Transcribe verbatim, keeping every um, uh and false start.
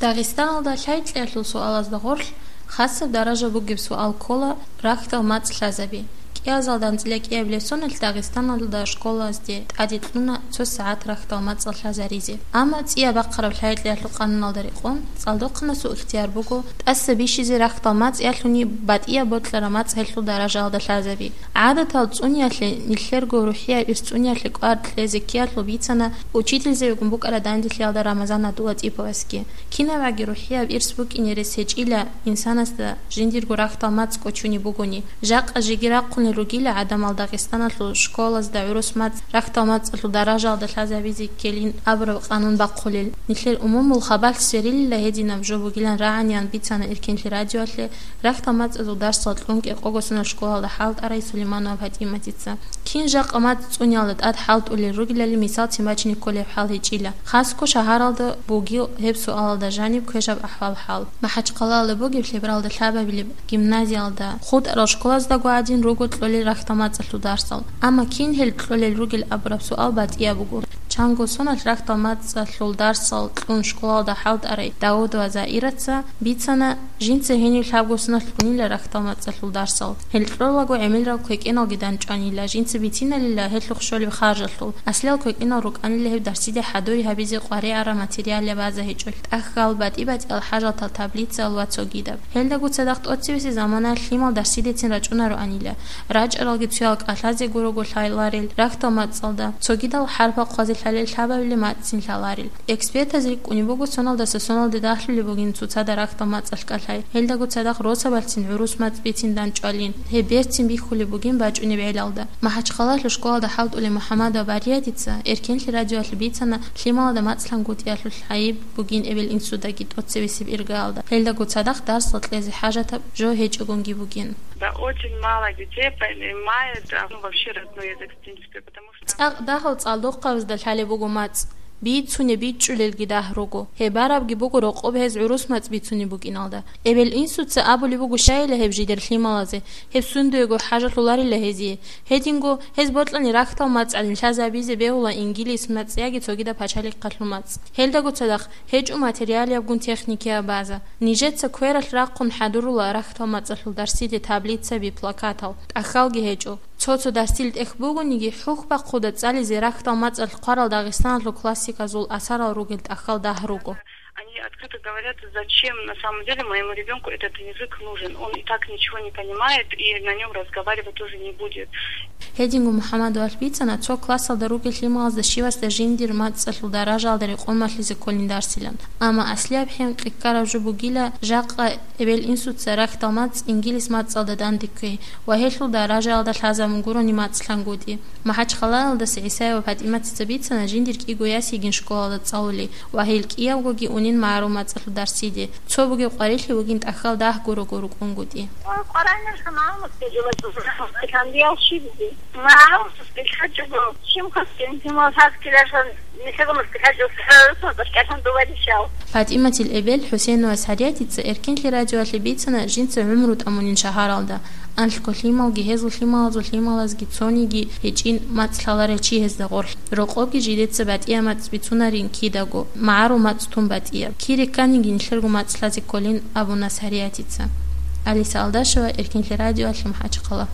Дагъистаналда лъай-кьиялъул суалазда гъорлъ хасаб даража бугеб суал ккола рахьдал мацӀ лъазаби. КӀиазалда анцӀила кӀиабилеб соналъ Дагъистаналда школазде тӀаде кьуна цо сагӀат рахьдал мацӀал лъазаризе. Амма цӀияб бахъараб лъай-кьиялъул къануналда рекъон, цӀалдохъанасул ихтияр буго тӀаса бищизе рахьдал мацӀ ялъуни батӀияб бокьараб мацӀ гьелъул даражаялда лъазаби. ГӀадатал цӀуниялъе, нилъерго рухӀияб ирс цӀуниялъе кӀвар кьезе ккеялъул бицана учительзабигун букӀараб данделъиялда Рамазан Абдулатиповасги. КинабгӀаги рухӀияб ирс букӀине рес гьечӀила инсанасда жиндирго рахьдал мацӀ кӀочунеб бугони. Жакъа жеги рахъунел ругила гӀадамал Дагъистаналъул школазда гӀурус мацӀ рахьдал мацӀалъул даражаялда лъазабизе ккелин абураб къанун бахъулел. Нилъер умумул хабалъ сверилила гьединаб жо бугилан рагӀаниян бицана Эркенлъи радиоялъе рахьдал мацӀазул дарсал кьун кӀикъого соналъ школалда хӀалтӀарай Сулейманова ПатӀиматица. Кин жакъа мацӀ цӀуниялда тӀад хӀалтӀулел ругелали мисалцин бачине кколеб хӀал гьечӀила. Хасго шагьаралда бугил гьеб суалалда жаниб квешаб ахӀвал-хӀал. МахӀачхъалаялда бугеб лъебералда лъабабилеб гимназиялда, хутӀарал школаздаго гӀадин руго кьолел рахьдал мацӀалъул дарсал. Амма кин гьел кьолел ругел абураб суал батӀияб буго. Чанго соналъ рахьдал мацӀалъул дарсал кьун школалда хӀалтӀарай Даудова Заираца бицана, жинца гьенив лъабго соналъ кьунила рахьдал мацӀалъул дарсал. Гьел кьолаго гӀемерал квекӀеналги дандчӀванила, жинца бициналила гьелъухъ щолеб харжалъул. Аслиял квекӀенал рукӀанила гьеб дарсиде хӀадури гьабизе къваригӀараб материалияб база гьечӀолъи. ТӀахьал, батӀи-батӀиял хӀажалъул таблицаялъ ва цогидаб. Гьелдаго цадахъ тӀоцебесеб заманаялъ лъимал дарсидецин рачӀунароанила. РачӀаралги цоял кӀалъазе гурого лъаларел рахьдал мацӀалда, цогидал хӀарпал хъвазе лъалел лъабабилеб мацӀцин лъаларел. Экспертаз рикӀкӀунеб буго соналдаса соналде дагьлъулеб бугин цоцазда рахьдал мацӀалъ кӀалъай. Гьелдаго цадахъ росабалъцин гӀурус мацӀ бицин дандчӀвалин. Гьеб берцин бихьулеб бугин бачӀунеб гӀелалда. МахӀачхъалаялъул школалда хӀалтӀулев МухӀаммадова Бариятица Эркенлъи радиоялъе бицана, лъималазда мацӀ лъангутӀиялъул гӀайиб бугин эбел инсудаги тӀоцебесеб иргаялда. Гьелдаго цадахъ дарсал кьезе хӀажатаб жо гьечӀогонги бугин. Да, очень мало детей понимает, а, ну, вообще родной язык, в принципе, потому что... ЦӀакъ дагьал цӀалдохъабазда лъалеб буго мацӀ. Бицунеб бичӀчӀулелги дагь руго. Гьеб барабги буго рокъоб гьез гӀурус мацӀ бицунеб букӀиналда. Эбел-инсуца абулеб буго щайила гьеб жидер лъималазе, гьеб сундуего хӀажалъуларила гьезие. Гьединго гьез бокьани рахьдал мацӀ гӀадин лъазабизе бегьула ингилис мацӀ яги цогидаб пачалихъалъул мацӀ. Гьелдаго цадахъ гьечӀо материалиябгун техникияб база. Нижеца квералъ рахъун хӀадурула рахьдал мацӀалъул дарсиде таблицаби, плакатал, тӀахьалги гьечӀо. Цо-цо дарсил тӀехь бугониги, хӀухь бахъуда цӀализе рахьдал мацӀалъ хъварал Дагъистаналъул классиказул асарал ругел тӀахьал дагь руго. Они открыто говорят, зачем на самом деле моему ребёнку этот язык нужен. Он и так ничего не понимает и на нём разговаривать тоже не будет. Гьединго МухӀаммадовалъ бицана, цо классалда ругел лъималазда щивасда жиндир мацӀалъул даражаялда рекъон малъизе кколин дарсилан. Амма аслияб хӀинкъи ккараб жо бугила, жакъа эбел-инсуца рахьдал мацӀ ингилис мацӀалда данде кквей ва гьелъул даражаялда лъазабун гурони мацӀ лъангутӀи. МахӀачхъалаялдаса ГӀисаева ПатӀиматица бицана, жиндир кӀиго яс йигин школалда цӀалули ва гьел кӀиявгоги унин магӀарул мацӀалъул дарсиде. Цо бугеб къварилъи бугин тӀахьал дагь гурого рукӀунгутӀи. ПатӀиматил эбел ХӀусейнова Сариятица Эркенлъи радиоялъе бицана, жинца гӀумру тӀамунин шагьаралда. Анлъго лъималги гьезул лъималазул лъималазги цониги гьечӀин мацӀ лъаларев чи гьезда гъорлъ. Рокъобги жидеца батӀияб мацӀ бицунарин кидаго, магӀарул мацӀ тун батӀияб. Кире кканиги нилъерго мацӀ лъазе кколин абуна Сариятица. Алиса Алдашева, Эркенлъи радиоялъе, МахӀачхъала.